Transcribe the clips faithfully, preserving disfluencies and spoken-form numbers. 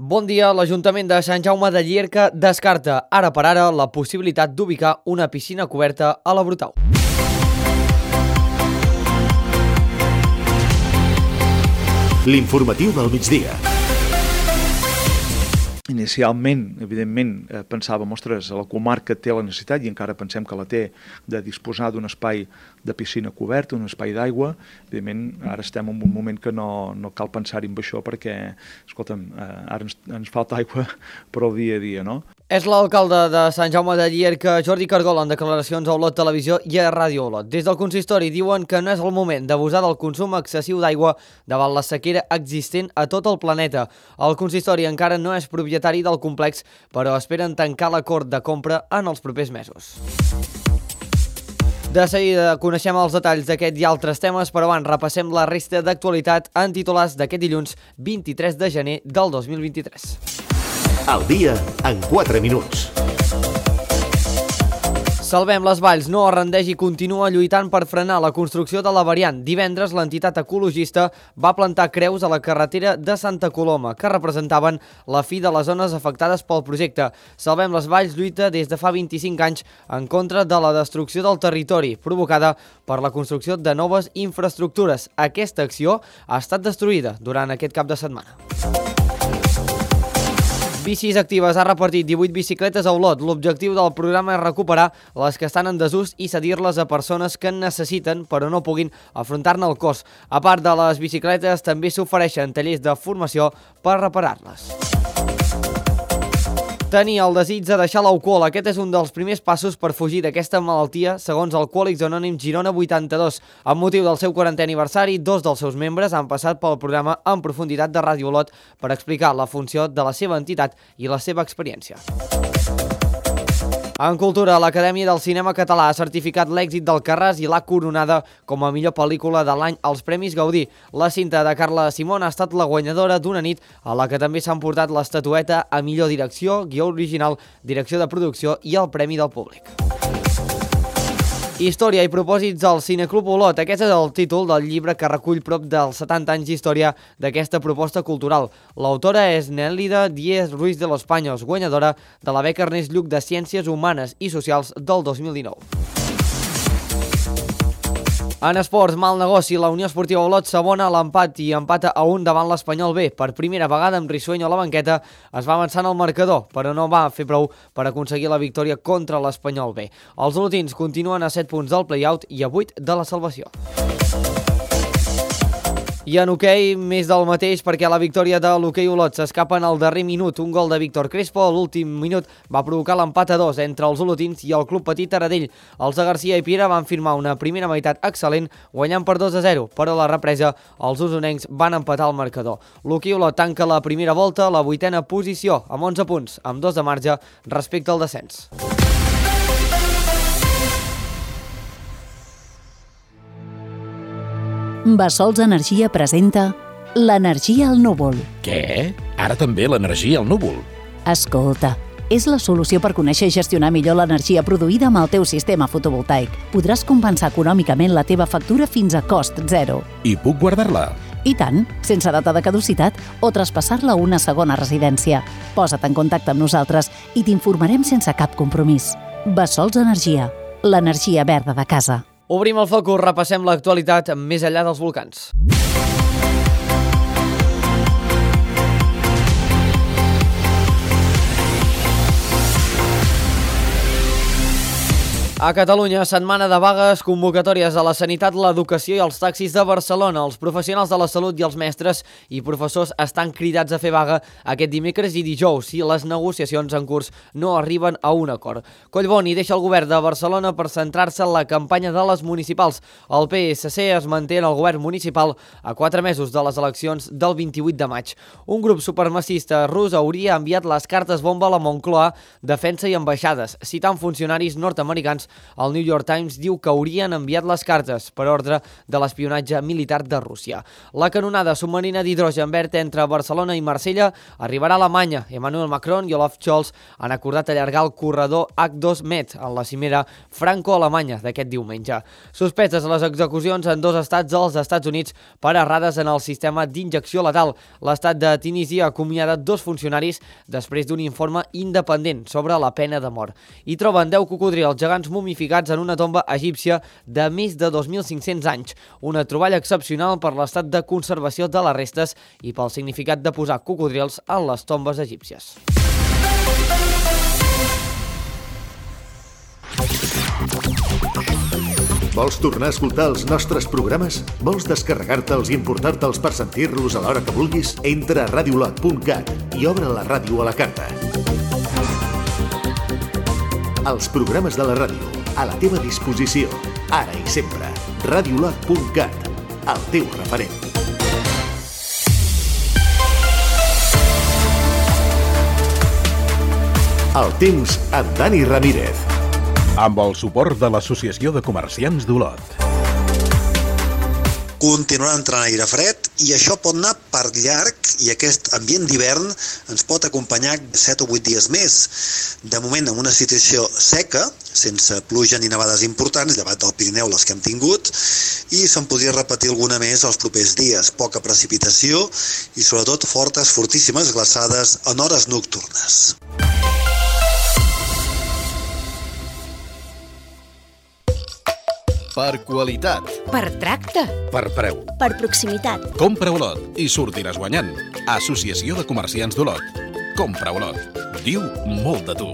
Bon dia, l'Ajuntament de Sant Jaume de Llierca descarta ara per ara la possibilitat d'ubicar una piscina coberta a la Brutau. L'informatiu del migdia. Inicialment, evidentment, eh, pensàvem, ostres, la comarca té la necessitat, i encara pensem que la té, de disposar d'un espai de piscina coberta, un espai d'aigua. Evidentment, ara estem en un moment que no, no cal pensar-hi en això perquè, escolta'm, eh, ara ens, ens falta aigua per al dia a dia, no? És l'alcalde de Sant Jaume de Llierca, Jordi Cargol, en declaracions a Olot Televisió i a Ràdio Olot. Des del consistori diuen que no és el moment d'abusar del consum excessiu d'aigua davant la sequera existent a tot el planeta. El consistori encara no és propietari del complex, però esperen tancar l'acord de compra en els propers mesos. De seguida coneixem els detalls d'aquest i altres temes, però abans repassem la resta d'actualitat en titulars d'aquest dilluns vint-i-tres de gener del dos mil vint-i-tres. El dia en quatre minuts. Salvem les Valls no es rendeix i continua lluitant per frenar la construcció de la variant. Divendres, l'entitat ecologista va plantar creus a la carretera de Santa Coloma, que representaven la fi de les zones afectades pel projecte. Salvem les Valls lluita des de fa vint-i-cinc anys en contra de la destrucció del territori, provocada per la construcció de noves infraestructures. Aquesta acció ha estat destruïda durant aquest cap de setmana. Bicis Actives ha repartit divuit bicicletes a Olot. L'objectiu del programa és recuperar les que estan en desús i cedir-les a persones que en necessiten però no puguin afrontar-ne el cost. A part de les bicicletes, també s'ofereixen tallers de formació per reparar-les. Tenir el desig de deixar l'alcohol. Aquest és un dels primers passos per fugir d'aquesta malaltia, segons Alcohòlics Anònims Girona vuitanta-dos. Amb motiu del seu quarantè aniversari, dos dels seus membres han passat pel programa En Profunditat de Ràdio Olot per explicar la funció de la seva entitat i la seva experiència. En cultura, l'Acadèmia del Cinema Català ha certificat l'èxit d'Alcarràs i l'ha coronada com a millor pel·lícula de l'any als Premis Gaudí. La cinta de Carla Simón ha estat la guanyadora d'una nit a la que també s'han portat l'estatueta a millor direcció, guió original, direcció de producció i el Premi del Públic. Història i propòsits al Cineclub Olot. Aquest és el títol del llibre que recull prop dels setanta anys d'història d'aquesta proposta cultural. L'autora és Nélida Díez Ruiz de los Paños, guanyadora de la beca Ernest Lluch de Ciències Humanes i Socials del dos mil dinou. En esports, mal negoci, la Unió Esportiva Olot s'abona a l'empat i empata a un davant l'Espanyol B. Per primera vegada amb Risueño a la banqueta es va avançar en el marcador, però no va fer prou per aconseguir la victòria contra l'Espanyol B. Els olotins continuen a set punts del play-out i a vuit de la salvació. I en hoquei, més del mateix, perquè la victòria de l'hoquei Olot s'escapa en el darrer minut. Un gol de Víctor Crespo a l'últim minut va provocar l'empat a dos entre els olotins i el Club Petit Taradell. Els de Garcia i Piera van firmar una primera meitat excel·lent, guanyant per dos a zero, però a la represa els usonencs van empatar el marcador. L'hoquei Olot tanca la primera volta a la vuitena posició, amb onze punts, amb dos de marge respecte al descens. Bassols Energia presenta l'energia al núvol. Què? Ara també l'energia al núvol? Escolta, és la solució per conèixer i gestionar millor l'energia produïda amb el teu sistema fotovoltaic. Podràs compensar econòmicament la teva factura fins a cost zero. I puc guardar-la? I tant, sense data de caducitat o traspassar-la a una segona residència. Posa't en contacte amb nosaltres i t'informarem sense cap compromís. Bassols Energia, l'energia verda de casa. Obrim el focus, repassem l'actualitat més enllà dels volcans. A Catalunya, setmana de vagues, convocatòries a la sanitat, l'educació i els taxis de Barcelona. Els professionals de la salut i els mestres i professors estan cridats a fer vaga aquest dimecres i dijous si les negociacions en curs no arriben a un acord. Collboni deixa el govern de Barcelona per centrar-se en la campanya de les municipals. El P S C es manté en el govern municipal a quatre mesos de les eleccions del vint-i-vuit de maig. Un grup supremacista rus hauria enviat les cartes bomba a la Moncloa, Defensa i Ambaixades, citant funcionaris nord-americans El New York Times diu que haurien enviat les cartes per ordre de l'espionatge militar de Rússia. La canonada submarina d'hidrogen verd entre Barcelona i Marsella arribarà a Alemanya. Emmanuel Macron i Olaf Scholz han acordat allargar el corredor H dos Med en la cimera franco-alemanya d'aquest diumenge. Suspeses les execucions en dos estats dels Estats Units per errades en el sistema d'injecció letal. L'estat de Tunísia ha acomiadat dos funcionaris després d'un informe independent sobre la pena de mort. Hi troben deu cocodrils gegants mumificats en una tomba egípcia de més de dos mil cinc-cents anys. Una troballa excepcional per l'estat de conservació de les restes i pel significat de posar cocodrils en les tombes egípcies. Vols tornar a escoltar els nostres programes? Vols descarregar-te'ls i importar-te'ls per sentir-los a l'hora que vulguis? Entra a radiolot punt cat i obre la ràdio a la carta. Els programes de la ràdio, a la teva disposició, ara i sempre. radiolot punt cat, el teu referent. El temps amb Dani Ramírez. Amb el suport de l'Associació de Comerciants d'Olot. Continuarà entrant aire fred i això pot anar per llarg i aquest ambient d'hivern ens pot acompanyar set o vuit dies més. De moment, en una situació seca, sense pluja ni nevades importants, llevat del Pirineu les que hem tingut, i se'n podria repetir alguna més els propers dies. Poca precipitació i sobretot fortes, fortíssimes glaçades en hores nocturnes. Per qualitat. Per tracte. Per preu. Per proximitat. Compra Olot i sortiràs guanyant. Associació de Comerciants d'Olot. Compra Olot. Diu molt de tu.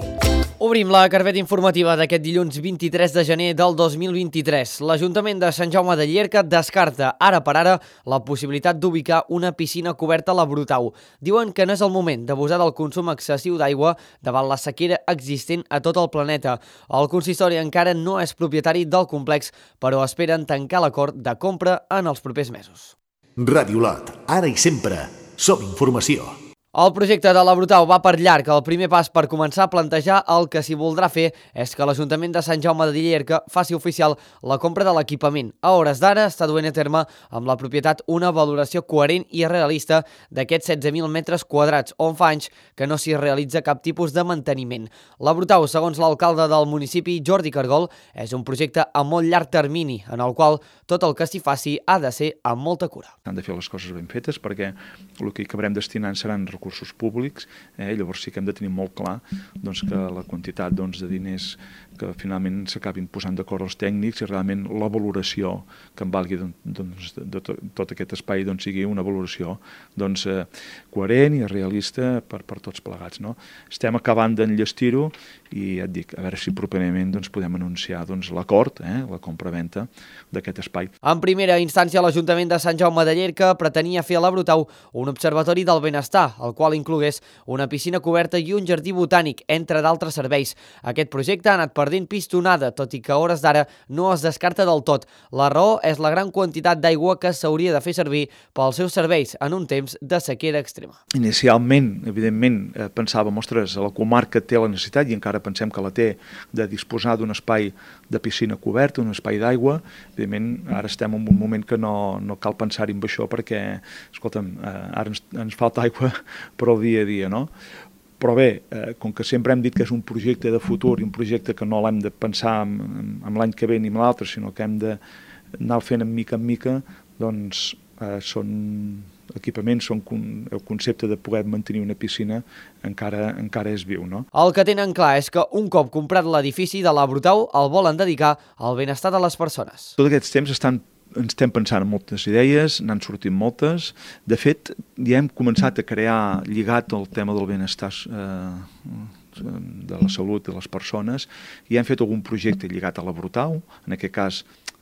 Obrim la carpeta informativa d'aquest dilluns vint-i-tres de gener del dos mil vint-i-tres. L'Ajuntament de Sant Jaume de Llierca descarta ara per ara la possibilitat d'ubicar una piscina coberta a la Brutau. Diuen que no és el moment d'abusar del consum excessiu d'aigua davant la sequera existent a tot el planeta. El consistori encara no és propietari del complex, però esperen tancar l'acord de compra en els propers mesos. Radiolot, ara i sempre. Som informació. El projecte de la Brutau va per llarg. El primer pas per començar a plantejar el que s'hi voldrà fer és que l'Ajuntament de Sant Jaume de Llierca faci oficial la compra de l'equipament. A hores d'ara està duent a terme amb la propietat una valoració coherent i realista d'aquests setze mil metres quadrats, on fa anys que no s'hi realitza cap tipus de manteniment. La Brutau, segons l'alcalde del municipi, Jordi Cargol, és un projecte a molt llarg termini, en el qual tot el que s'hi faci ha de ser amb molta cura. Han de fer les coses ben fetes perquè el que acabarem destinant seran recursos públics, eh? Llavors sí que hem de tenir molt clar doncs, que la quantitat doncs, de diners que finalment s'acabin posant d'acord els tècnics i realment la valoració que en valgui doncs, de, de, de tot aquest espai doncs, sigui una valoració doncs, eh, coherent i realista per, per tots plegats. No? Estem acabant d'enllestir-ho i ja et dic, a veure si properament doncs, podem anunciar doncs, l'acord, eh, la compra-venta d'aquest espai. En primera instància, l'Ajuntament de Sant Jaume de Llierca pretenia fer a la Brutau un observatori del benestar, el qual inclogués una piscina coberta i un jardí botànic, entre d'altres serveis. Aquest projecte ha anat perdent pistonada, tot i que a hores d'ara no es descarta del tot. La raó és la gran quantitat d'aigua que s'hauria de fer servir pels seus serveis en un temps de sequera extrema. Inicialment, evidentment, eh, pensàvem, ostres, la comarca té la necessitat, i encara pensem que la té, de disposar d'un espai de piscina coberta, un espai d'aigua. Evidentment, ara estem en un moment que no, no cal pensar-hi en això perquè, escolta'm, eh, ara ens, ens falta aigua per al dia a dia, no? Però bé, eh, com que sempre hem dit que és un projecte de futur i un projecte que no l'hem de pensar en, en l'any que ve ni en l'altre, sinó que hem d'anar fent en mica en mica, doncs eh, són equipaments, són el concepte de poder mantenir una piscina encara, encara és viu, no? El que tenen clar és que un cop comprat l'edifici de la Brutau el volen dedicar al benestar de les persones. Tots aquests temps estan ens estem pensant en moltes idees, n'han sortit moltes. De fet, ja hem començat a crear, lligat al tema del benestar eh, de la salut de les persones, i hem fet algun projecte lligat a la Brutau, en aquest cas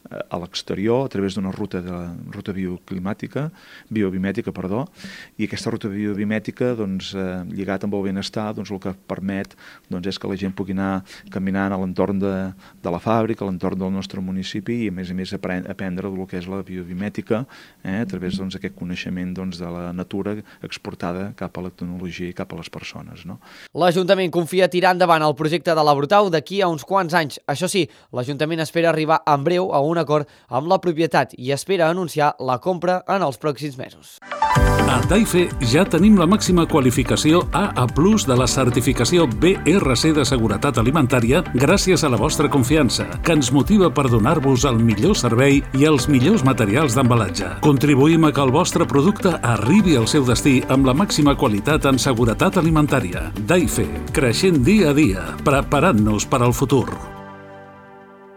a l'exterior a través d'una ruta de ruta bioclimàtica, biobimètica, perdó, i aquesta ruta biobimètica, doncs, eh, lligat amb el benestar, doncs, el que permet doncs, és que la gent pugui anar caminant a l'entorn de, de la fàbrica, a l'entorn del nostre municipi i, a més a més, aprendre del que és la biobimètica eh, a través d'aquest doncs, coneixement doncs, de la natura exportada cap a la tecnologia i cap a les persones. No? L'Ajuntament confia tirar endavant el projecte de la Brutau d'aquí a uns quants anys. Això sí, l'Ajuntament espera arribar en breu a un acord amb la propietat i espera anunciar la compra en els pròxims mesos. A Daife ja tenim la màxima qualificació A A plus de la certificació B R C de seguretat alimentària gràcies a la vostra confiança, que ens motiva per donar-vos el millor servei i els millors materials d'embalatge. Contribuïm a que el vostre producte arribi al seu destí amb la màxima qualitat en seguretat alimentària. Daife, creixent dia a dia, preparant-nos per al futur.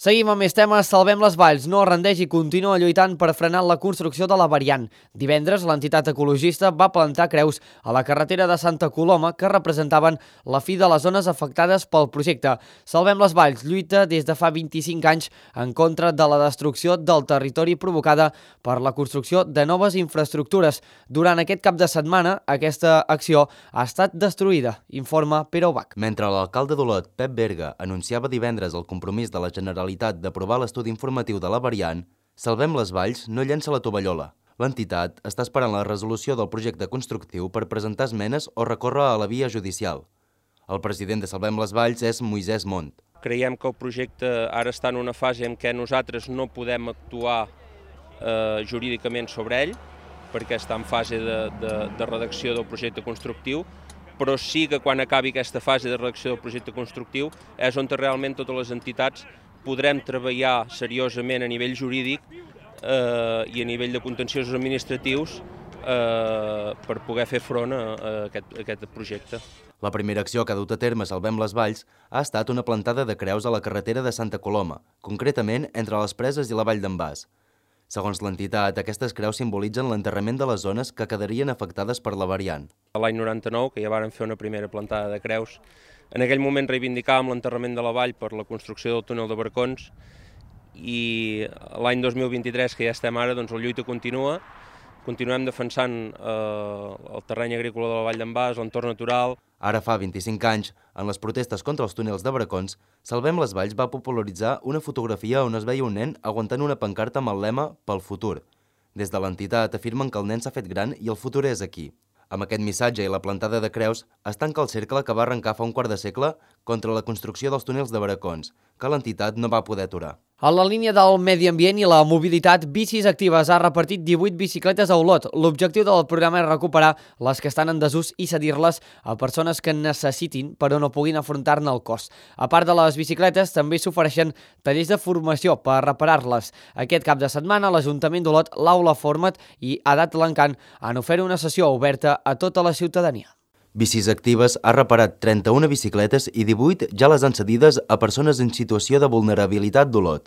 Seguim amb més temes. Salvem les Valls no rendeix i continua lluitant per frenar la construcció de la variant. Divendres, l'entitat ecologista va plantar creus a la carretera de Santa Coloma que representaven la fi de les zones afectades pel projecte. Salvem les Valls lluita des de fa vint-i-cinc anys en contra de la destrucció del territori provocada per la construcció de noves infraestructures. Durant aquest cap de setmana, aquesta acció ha estat destruïda, informa Pere Ubach. Mentre l'alcalde d'Olot, Pep Berga, anunciava divendres el compromís de la Generalitat d'aprovar l'estudi informatiu de la variant, Salvem les Valls no llença la tovallola. L'entitat està esperant la resolució del projecte constructiu per presentar esmenes o recórrer a la via judicial. El president de Salvem les Valls és Moisès Mont. Creiem que el projecte ara està en una fase en què nosaltres no podem actuar eh, jurídicament sobre ell, perquè està en fase de, de, de redacció del projecte constructiu, però sí que quan acabi aquesta fase de redacció del projecte constructiu és on realment totes les entitats podrem treballar seriosament a nivell jurídic eh, i a nivell de contenciosos administratius eh, per poder fer front a, a, aquest, a aquest projecte. La primera acció que ha dut a terme Salvem les Valls ha estat una plantada de creus a la carretera de Santa Coloma, concretament entre les Preses i la Vall d'en Bas. Segons l'entitat, aquestes creus simbolitzen l'enterrament de les zones que quedarien afectades per la variant. L'any noranta-nou, que ja varen fer una primera plantada de creus, en aquell moment reivindicàvem l'enterrament de la vall per la construcció del túnel de Barcons i l'any dos mil vint-i-tres, que ja estem ara, doncs la lluita continua. Continuem defensant eh, el terreny agrícola de la Vall d'en Bas, l'entorn natural. Ara fa vint-i-cinc anys, en les protestes contra els túnels de Barcons, Salvem les Valls va popularitzar una fotografia on es veia un nen aguantant una pancarta amb el lema «Pel futur». Des de l'entitat afirmen que el nen s'ha fet gran i el futur és aquí. Amb aquest missatge i la plantada de creus es tanca el cercle que va arrencar fa un quart de segle contra la construcció dels túnels de Baracons, que l'entitat no va poder aturar. A la línia del medi ambient i la mobilitat, Bicis Actives ha repartit divuit bicicletes a Olot. L'objectiu del programa és recuperar les que estan en desús i cedir-les a persones que necessitin però no puguin afrontar-ne el cost. A part de les bicicletes, també s'ofereixen tallers de formació per reparar-les. Aquest cap de setmana, l'Ajuntament d'Olot, l'Aula Format i Edat L'Encant han ofert una sessió oberta a tota la ciutadania. Bicis Actives ha reparat trenta-una bicicletes i divuit ja les han cedides a persones en situació de vulnerabilitat d'Olot.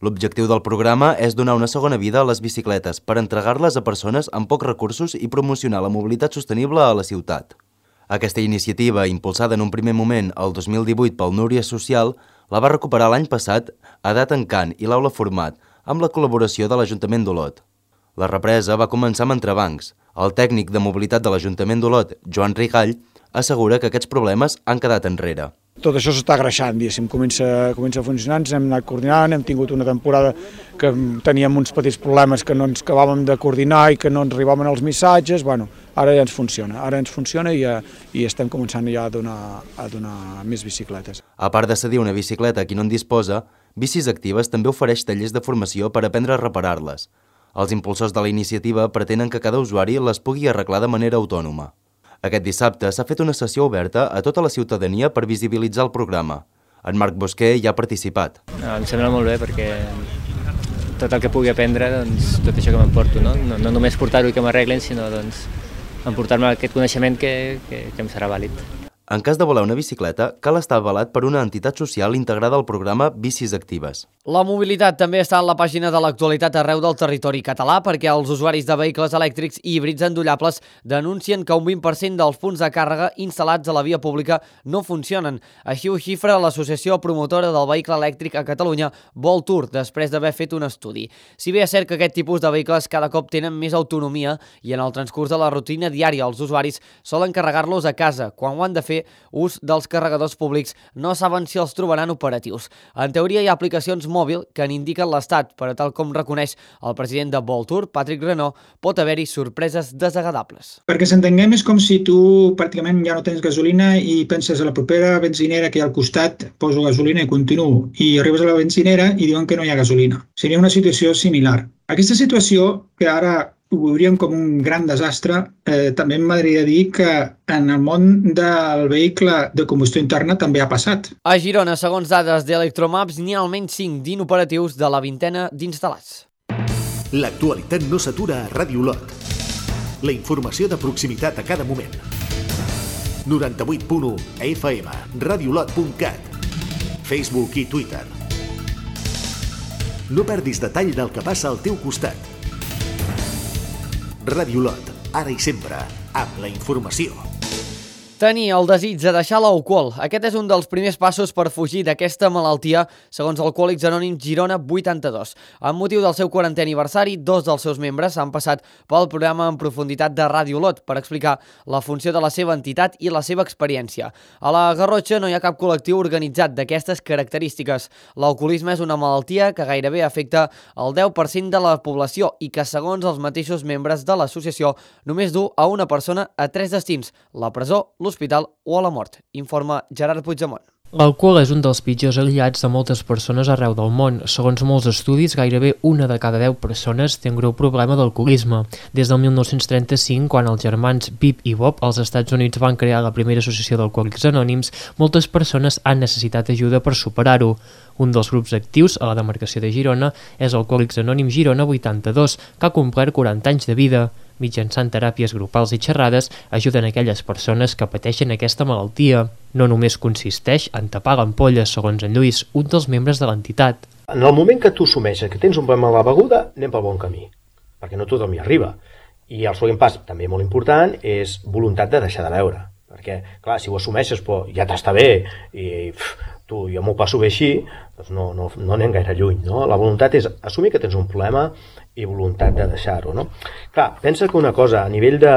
L'objectiu del programa és donar una segona vida a les bicicletes per entregar-les a persones amb pocs recursos i promocionar la mobilitat sostenible a la ciutat. Aquesta iniciativa, impulsada en un primer moment el dos mil divuit pel Núria Social, la va recuperar l'any passat Edat Encant i l'Aula Format, amb la col·laboració de l'Ajuntament d'Olot. La represa va començar amb entrebancs. El tècnic de mobilitat de l'Ajuntament d'Olot, Joan Rigall, assegura que aquests problemes han quedat enrere. Tot això s'està greixant, diguéssim, comença, comença a funcionar, ens hem anat coordinant, hem tingut una temporada que teníem uns petits problemes que no ens acabàvem de coordinar i que no ens arribaven els missatges, bueno, ara ja ens funciona, ara ens funciona i, i estem començant ja a donar, a donar més bicicletes. A part de cedir una bicicleta a qui no en disposa, Bicis Actives també ofereix tallers de formació per aprendre a reparar-les. Els impulsors de la iniciativa pretenen que cada usuari les pugui arreglar de manera autònoma. Aquest dissabte s'ha fet una sessió oberta a tota la ciutadania per visibilitzar el programa. En Marc Bosquer hi ha participat. Em sembla molt bé perquè tot el que pugui aprendre, doncs, tot això que m'emporto, no? No, no només portar-ho i que m'arreglen, sinó doncs, emportar-me aquest coneixement que, que, que em serà vàlid. En cas de voler una bicicleta, cal estar avalat per una entitat social integrada al programa Bicis Actives. La mobilitat també està en la pàgina de l'actualitat arreu del territori català perquè els usuaris de vehicles elèctrics i híbrids endollables denuncien que un vint per cent dels punts de càrrega instal·lats a la via pública no funcionen. Així ho xifra l'Associació Promotora del Vehicle Elèctric a Catalunya, Voltur, després d'haver fet un estudi. Si bé és cert que aquest tipus de vehicles cada cop tenen més autonomia i en el transcurs de la rutina diària els usuaris solen carregar-los a casa, quan ho han de fer ús dels carregadors públics no saben si els trobaran operatius. En teoria hi ha aplicacions mòbil que n'indiquen l'estat, però tal com reconeix el president de Voltur, Patrick Renaud, pot haver-hi sorpreses desagradables. Perquè s'entenguem és com si tu pràcticament ja no tens gasolina i penses a la propera benzinera que hi ha al costat, poso gasolina i continuo, i arribes a la benzinera i diuen que no hi ha gasolina. Seria una situació similar. Aquesta situació, que ara ho veuríem com un gran desastre, eh, també m'agradaria dir que en el món del vehicle de combustió interna també ha passat. A Girona, segons dades d'Electromaps, n'hi ha almenys cinc d'inoperatius de la vintena d'instal·lats. L'actualitat no s'atura a Ràdio Olot. La informació de proximitat a cada moment. noranta-vuit punt u F M, radiolot punt cat, Facebook i Twitter. No perdis detall del que passa al teu costat. Ràdio Olot, ara i sempre, amb la informació. Tenir el desig de deixar l'alcohol. Aquest és un dels primers passos per fugir d'aquesta malaltia, segons Alcohòlics Anònims Girona vuitanta-dos. Amb motiu del seu quarantè aniversari, dos dels seus membres han passat pel programa en profunditat de Ràdio Olot per explicar la funció de la seva entitat i la seva experiència. A la Garrotxa no hi ha cap col·lectiu organitzat d'aquestes característiques. L'alcoholisme és una malaltia que gairebé afecta el deu per cent de la població i que, segons els mateixos membres de l'associació, només du a una persona a tres destins: la presó, l'hospital o a la mort, informa Gerard Puigdemont. L'alcohol és un dels pitjors aliats de moltes persones arreu del món. Segons molts estudis, gairebé una de cada deu persones té un greu problema d'alcoholisme. Des del mil nou-cents trenta-cinc, quan els germans Pip i Bob als Estats Units van crear la primera associació d'Alcohòlics Anònims, moltes persones han necessitat ajuda per superar-ho. Un dels grups actius a la demarcació de Girona és Alcohòlics Anònims Girona vuitanta-dos, que ha complert quaranta anys de vida. Mitjançant teràpies grupals i xerrades, ajuden aquelles persones que pateixen aquesta malaltia. No només consisteix en tapar l'ampolles, segons en Lluís, un dels membres de l'entitat. En el moment que tu assumeixes que tens un problema amb la beguda, anem pel bon camí, perquè no tothom hi arriba. I el següent pas, també molt important, és voluntat de deixar de beure. Perquè, clar, si ho assumeixes, però ja t'està bé, i pff, tu, jo m'ho passo bé així, doncs no, no, no anem gaire lluny, no? La voluntat és assumir que tens un problema i voluntat de deixar-ho, no? Clar, pensa que una cosa, a nivell de...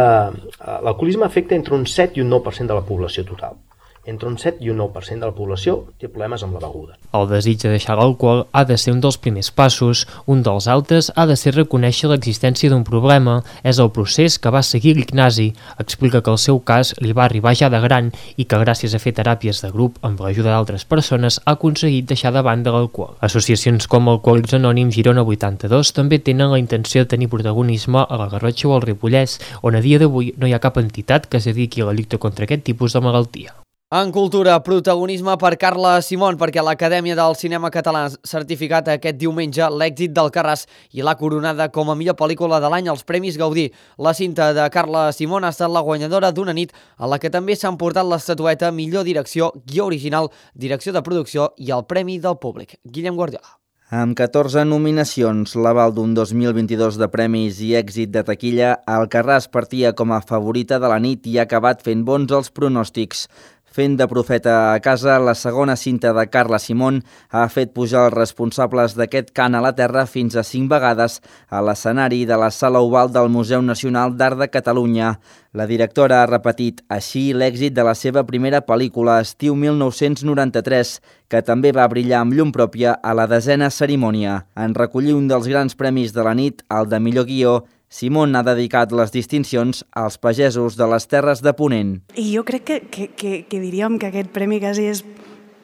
L'alcoholisme afecta entre un set i un nou per cent de la població total. Entre un set i un nou per cent de la població té problemes amb la beguda. El desig de deixar l'alcohol ha de ser un dels primers passos. Un dels altres ha de ser reconèixer l'existència d'un problema. És el procés que va seguir l'Ignasi. Explica que el seu cas li va arribar ja de gran i que gràcies a fer teràpies de grup amb l'ajuda d'altres persones ha aconseguit deixar de banda l'alcohol. Associacions com Alcohòlics Anònims Girona vuitanta-dos també tenen la intenció de tenir protagonisme a la Garrotxa o al Ripollès, on a dia d'avui no hi ha cap entitat que es dediqui a la lluita contra aquest tipus de malaltia. En cultura, protagonisme per Carla Simón, perquè l'Acadèmia del Cinema Català ha certificat aquest diumenge l'èxit d'Alcarràs i l'ha coronada com a millor pel·lícula de l'any als Premis Gaudí. La cinta de Carla Simón ha estat la guanyadora d'una nit a la que també s'ha emportat l'estatueta Millor Direcció, Guió Original, Direcció de Producció i el Premi del Públic. Guillem Guardiola. Amb catorze nominacions, l'aval d'un dos mil vint-i-dos de premis i èxit de taquilla, Alcarràs partia com a favorita de la nit i ha acabat fent bons els pronòstics. Fent de profeta a casa, la segona cinta de Carla Simón ha fet pujar els responsables d'aquest cant a la terra fins a cinc vegades a l'escenari de la Sala Oval del Museu Nacional d'Art de Catalunya. La directora ha repetit així l'èxit de la seva primera pel·lícula, Estiu mil nou-cents noranta-tres, que també va brillar amb llum pròpia a la desena cerimònia. En recollir un dels grans premis de la nit, el de millor guió, Simón ha dedicat les distincions als pagesos de les Terres de Ponent. I jo crec que, que, que, que diríem que aquest premi quasi és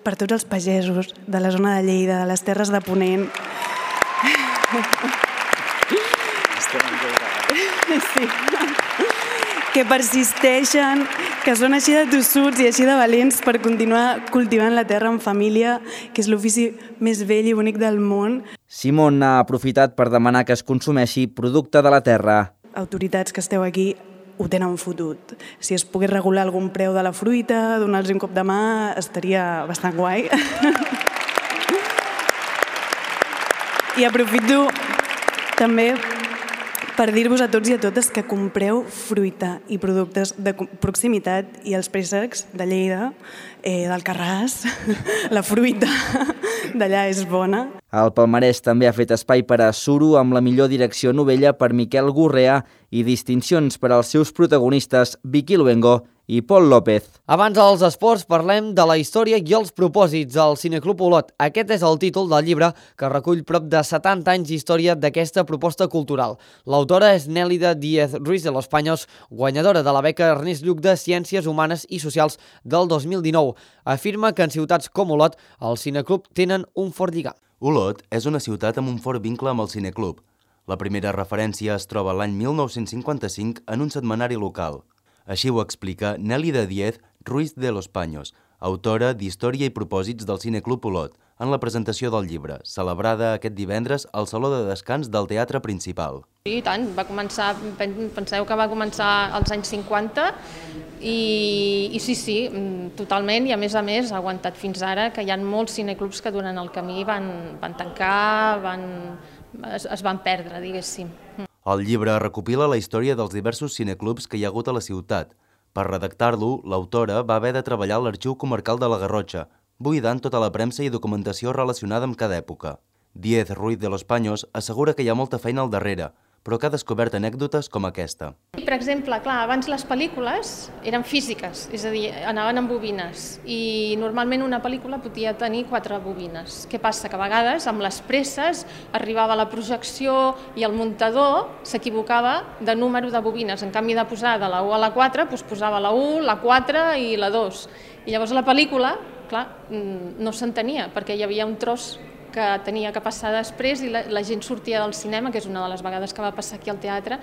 per tots els pagesos de la zona de Lleida, de les Terres de Ponent. Sí. Que persisteixen, que són així de tossuts i així de valents per continuar cultivant la terra en família, que és l'ofici més vell i bonic del món. Simón ha aprofitat per demanar que es consumeixi producte de la terra. Autoritats que esteu aquí, ho tenen fotut. Si es pogués regular algun preu de la fruita, donar-los un cop de mà, estaria bastant guai. I aprofito també per dir-vos a tots i a totes que compreu fruita i productes de proximitat i els préssecs de Lleida, eh, d'Alcarràs, la fruita d'allà és bona. El palmarès també ha fet espai per a Suro amb la millor direcció novella per Miquel Gurrea i distincions per als seus protagonistes Vicky Luengo i Pol López. Abans dels esports parlem de la història i els propòsits del Cineclub Olot. Aquest és el títol del llibre que recull prop de setanta anys d'història d'aquesta proposta cultural. L'autora és Nélida Díez Ruiz de los Paños, guanyadora de la beca Ernest Lluch de Ciències Humanes i Socials del dos mil dinou. Afirma que en ciutats com Olot el Cineclub tenen un fort lligam. Olot és una ciutat amb un fort vincle amb el Cineclub. La primera referència es troba l'any mil nou-cents cinquanta-cinc en un setmanari local. Així ho explica Nélida Díez Ruiz de los Paños, autora d'Història i propòsits del Cineclub Olot, en la presentació del llibre, celebrada aquest divendres al Saló de Descans del Teatre Principal. I tant, va començar, penseu que va començar als anys cinquanta i, i sí, sí, totalment, i a més a més ha aguantat fins ara, que hi ha molts cineclubs que durant el camí van, van tancar, van, es, es van perdre, diguéssim. El llibre recopila la història dels diversos cineclubs que hi ha hagut a la ciutat. Per redactar-lo, l'autora va haver de treballar a l'Arxiu Comarcal de la Garrotxa, buidant tota la premsa i documentació relacionada amb cada època. Díez Ruiz de los Paños assegura que hi ha molta feina al darrere, però que ha descobert anècdotes com aquesta. Per exemple, clar, abans les pel·lícules eren físiques, és a dir, anaven amb bobines, i normalment una pel·lícula podia tenir quatre bobines. Què passa? Que a vegades, amb les presses, arribava la projecció i el muntador s'equivocava de número de bobines. En canvi de posar de la u a la quatre, doncs posava la u, la quatre i la dos. I llavors la pel·lícula, clar, no s'entenia, perquè hi havia un tros que tenia que passar després i la, la gent sortia del cinema, que és una de les vegades que va passar aquí al teatre,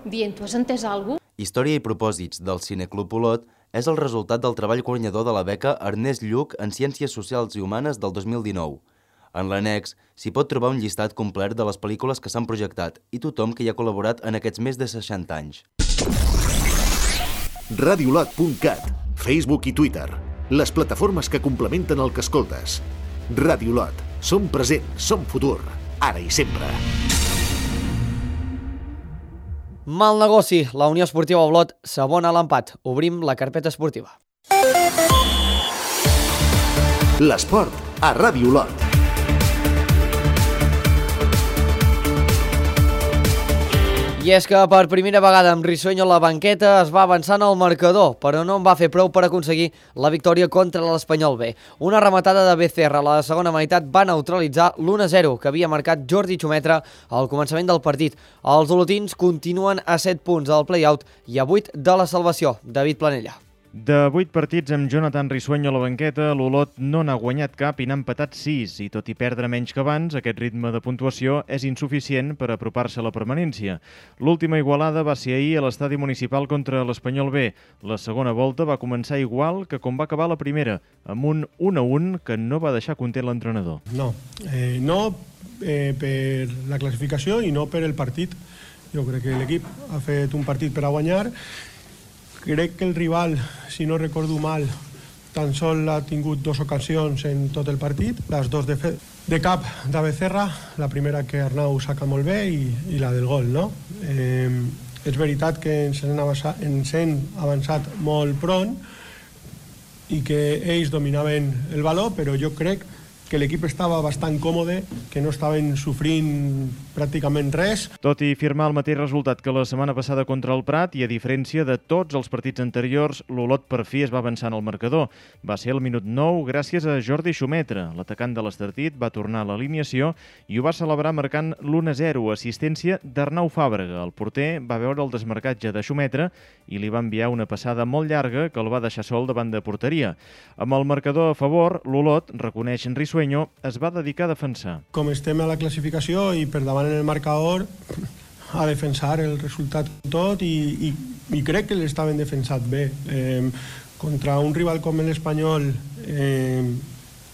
dient, tu has entès alguna cosa? Història i propòsits del Cineclub Olot és el resultat del treball guanyador de la beca Ernest Lluch en Ciències Socials i Humanes del dos mil dinou. En l'annex s'hi pot trobar un llistat complet de les pel·lícules que s'han projectat i tothom que hi ha col·laborat en aquests més de seixanta anys. radiolot punt cat, Facebook i Twitter, les plataformes que complementen el que escoltes. Radiolot, som present, som futur, ara i sempre. Mal negoci, la Unió Esportiva Olot s'abona a l'empat. Obrim la carpeta esportiva. L'esport a Ràdio Olot. I és que per primera vegada amb Risueño a la banqueta es va avançant al marcador, però no en va fer prou per aconseguir la victòria contra l'Espanyol B. Una rematada de Becerra a la segona meitat va neutralitzar l'u a zero que havia marcat Jordi Xumetra al començament del partit. Els olotins continuen a set punts del play-out i a vuit de la salvació. David Planella. De vuit partits amb Jonathan Risueño a la banqueta, l'Olot no n'ha guanyat cap i n'ha empatat sis, i tot i perdre menys que abans, aquest ritme de puntuació és insuficient per apropar-se a la permanència. L'última igualada va ser ahir a l'estadi municipal contra l'Espanyol B. La segona volta va començar igual que com va acabar la primera, amb un un a un que no va deixar content l'entrenador. No, eh, no eh, per la classificació i no per el partit. Jo crec que l'equip ha fet un partit per a guanyar. Crec que el rival, si no recordo mal, tan sol ha tingut dues ocasions en tot el partit, les dues de, fe, de cap de Becerra, la primera que Arnau saca molt bé i, i la del gol, no? Eh, és veritat que ens hem, avançat, ens hem avançat molt pront i que ells dominaven el valor, però jo crec que l'equip estava bastant còmode, que no estaven sofrint pràcticament res. Tot i firmar el mateix resultat que la setmana passada contra el Prat, i a diferència de tots els partits anteriors, l'Olot per fi es va avançar en el marcador. Va ser el minut nou gràcies a Jordi Xumetra. L'atacant de l'Estartit va tornar a l'alineació i ho va celebrar marcant l'u a zero, assistència d'Arnau Fàbrega. El porter va veure el desmarcatge de Xumetra i li va enviar una passada molt llarga que el va deixar sol davant de porteria. Amb el marcador a favor, l'Olot, reconeix en Risueño, es va dedicar a defensar. Com estem a la classificació i per davant en el marcador, a defensar el resultat tot i, i, i crec que l'estaven defensat bé. Eh, contra un rival com l'Espanyol, eh,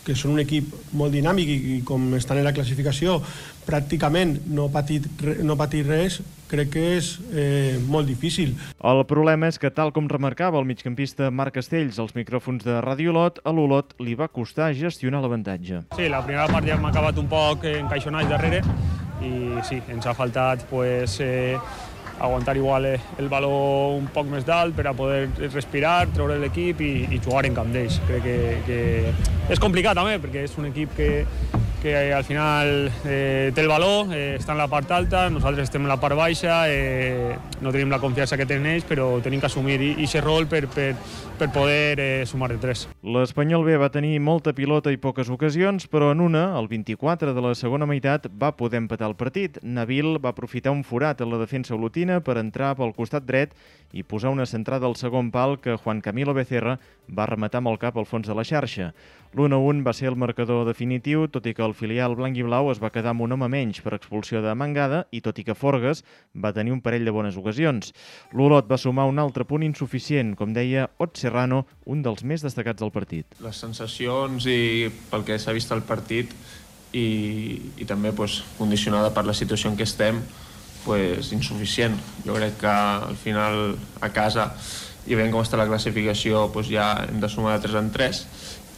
que són un equip molt dinàmic i, i com estan en la classificació pràcticament no patit, no patir res, crec que és eh, molt difícil. El problema és que, tal com remarcava el migcampista Marc Castells als micròfons de Radio Olot, a l'Olot li va costar gestionar l'avantatge. Sí, la primera part ja hem acabat un poc encaixonats darrere i sí, ens ha faltat pues, eh, aguantar igual el baló un poc més dalt per a poder respirar, treure l'equip i, i jugar en camp d'ells. Crec que, que és complicat també, perquè és un equip que, que al final eh, té el baló, eh, està en la part alta, nosaltres estem en la part baixa, eh, no tenim la confiança que tenen ells, però tenim que assumir aquest rol per, per, per poder eh, sumar de tres. L'Espanyol B va tenir molta pilota i poques ocasions, però en una, el vint-i-quatre de la segona meitat, va poder empatar el partit. Nabil va aprofitar un forat a la defensa olotina per entrar pel costat dret i posar una centrada al segon pal que Juan Camilo Becerra va rematar amb el cap al fons de la xarxa. l'u a un va ser el marcador definitiu, tot i que el filial blanc i blau es va quedar amb un home menys per expulsió de Mangada i tot i que Forgues va tenir un parell de bones ocasions. L'Olot va sumar un altre punt insuficient, com deia Ot Serrano, un dels més destacats del partit. Les sensacions i pel que s'ha vist al partit i, i també pues, condicionada per la situació en què estem, pues, insuficient. Jo crec que al final a casa i veient com està la classificació pues, ja hem de sumar de tres en tres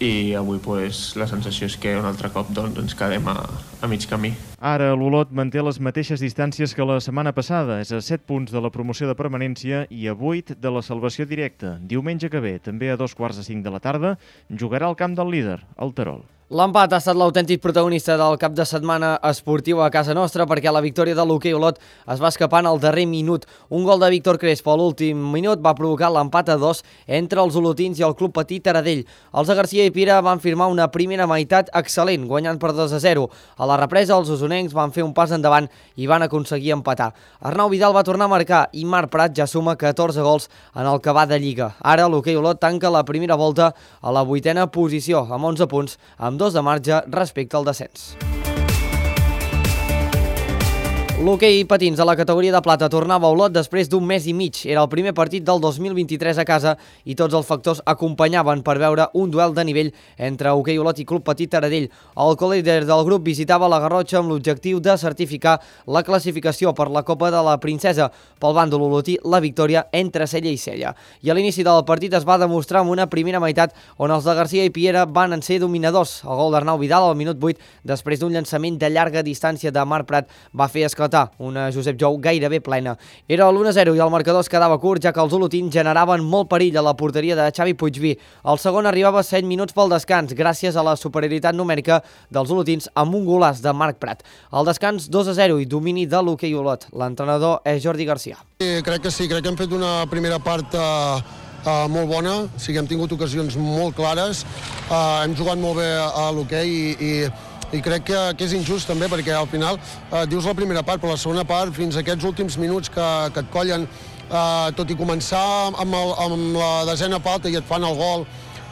i avui pues, la sensació és que un altre cop doncs, ens quedem a, a mig camí. Ara l'Olot manté les mateixes distàncies que la setmana passada, és a set punts de la promoció de permanència i a vuit de la salvació directa. Diumenge que ve, també a dos quarts de cinc de la tarda, jugarà al camp del líder, el Terol. L'empat ha estat l'autèntic protagonista del cap de setmana esportiu a casa nostra perquè la victòria de l'Hoquei Olot es va escapar en el darrer minut. Un gol de Víctor Crespo a l'últim minut va provocar l'empat a dos entre els olotins i el Club Patí Taradell. Els de Garcia i Pira van firmar una primera meitat excel·lent, guanyant per dos a zero. A la represa, els osonencs van fer un pas endavant i van aconseguir empatar. Arnau Vidal va tornar a marcar i Marc Prat ja suma catorze gols en el que va de Lliga. Ara l'Hoquei Olot tanca la primera volta a la vuitena posició, amb onze punts, amb dos de marge respecte al descens. L'hoquei patins a la categoria de plata tornava a Olot després d'un mes i mig. Era el primer partit del dos mil vint-i-tres a casa i tots els factors acompanyaven per veure un duel de nivell entre Hoquei Olot i Club Patí Taradell. El co-líder del grup visitava la Garrotxa amb l'objectiu de certificar la classificació per la Copa de la Princesa. Pel bàndol olotí, la victòria entre cella i cella. I a l'inici del partit es va demostrar amb una primera meitat on els de Garcia i Piera van ser dominadors. El gol d'Arnau Vidal al minut vuit, després d'un llançament de llarga distància de Marc Prat, va fer esclatar una Josep Jou gairebé plena. Era l'u a zero i el marcador es quedava curt, ja que els olotins generaven molt perill a la porteria de Xavi Puigví. El segon arribava set minuts pel descans, gràcies a la superioritat numèrica dels olotins amb un golaç de Marc Prat. Al descans dos a zero i domini de l'Hoquei Olot. L'entrenador és Jordi Garcia. Sí, crec que sí, crec que hem fet una primera part uh, uh, molt bona, sí que hem tingut ocasions molt clares, uh, hem jugat molt bé a l'hoquei i, i i crec que, que és injust també perquè al final eh, dius la primera part, però la segona part fins a aquests últims minuts que, que et collen eh, tot i començar amb, el, amb la desena falta i et fan el gol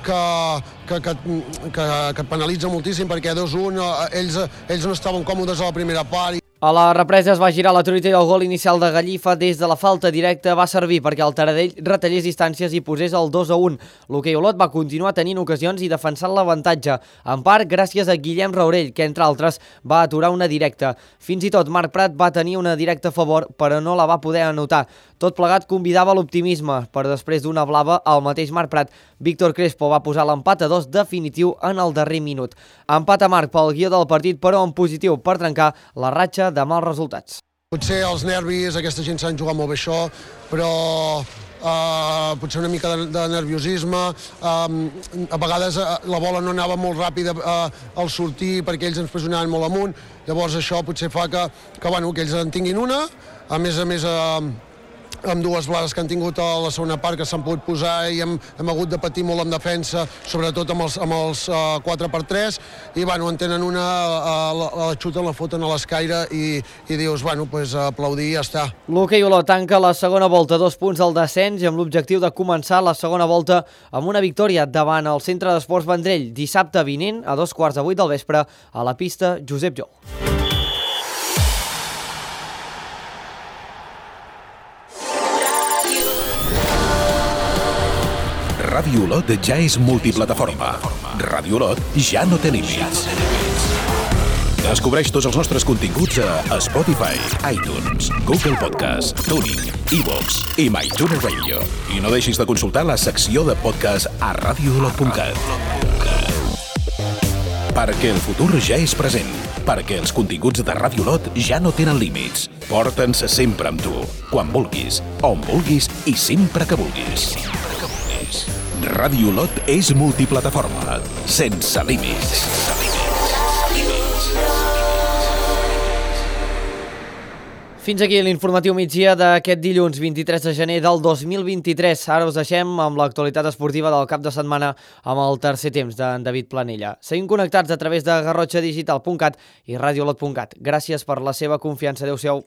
que, que, que, que, que et penalitza moltíssim perquè dos a un eh, ells, ells no estaven còmodes a la primera part. A la represa es va girar la truita i el gol inicial de Gallifa des de la falta directa va servir perquè el Taradell retallés distàncies i posés el dos a un. L'Hoquei Olot va continuar tenint ocasions i defensant l'avantatge, en part gràcies a Guillem Raurell, que entre altres va aturar una directa. Fins i tot Marc Prat va tenir una directa a favor, però no la va poder anotar. Tot plegat convidava l'optimisme, però després d'una blava al mateix Marc Prat, Víctor Crespo va posar l'empat a dos definitiu en el darrer minut. Empat a Marc pel guió del partit, però en positiu per trencar la ratxa de mals resultats. Potser els nervis, aquesta gent s'han jugat molt bé això, però uh, potser una mica de, de nerviosisme, uh, a vegades uh, la bola no anava molt ràpida uh, al sortir perquè ells ens pressionaven molt amunt, llavors això potser fa que, que, bueno, que ells en tinguin una, a més a més uh, amb dues blades que han tingut a la segona part que s'han pogut posar i hem, hem hagut de patir molt en defensa, sobretot amb els, amb els uh, quatre per tres, i bueno, en tenen una, uh, la, la xuten, la foten a l'escaire i, i dius, bueno, pues, aplaudir i ja està. L'Hoquei Olot tanca la segona volta, dos punts al descens i amb l'objectiu de començar la segona volta amb una victòria davant el Centre d'Esports Vendrell dissabte vinent a dos quarts de vuit del vespre a la pista Josep Jou. Ràdio Olot ja és multiplataforma. Ràdio Olot ja no té límits. Descobreix tots els nostres continguts a Spotify, iTunes, Google Podcast, TuneIn, iVoox i MyTuner Radio. I no deixis de consultar la secció de podcast a radio olot punt cat. Perquè el futur ja és present. Perquè els continguts de Ràdio Olot ja no tenen límits. Porta'ns sempre amb tu, quan vulguis, on vulguis i sempre que vulguis. Ràdio Olot és multiplataforma, sense límits. Fins aquí l'informatiu migdia d'aquest dilluns vint-i-tres de gener del dos mil vint-i-tres. Ara us deixem amb l'actualitat esportiva del cap de setmana amb el tercer temps d'en David Planella. Seguim connectats a través de garrotxa digital punt cat i radio olot punt cat. Gràcies per la seva confiança. Adéu-siau.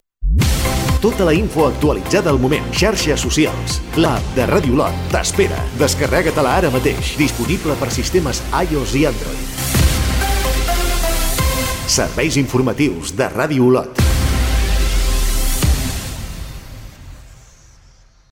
Tota la info actualitzada al moment. Xarxes socials. L'app de Ràdio Olot t'espera. Descarrega-te-la ara mateix. Disponible per sistemes iOS i Android. Serveis informatius de Ràdio Olot.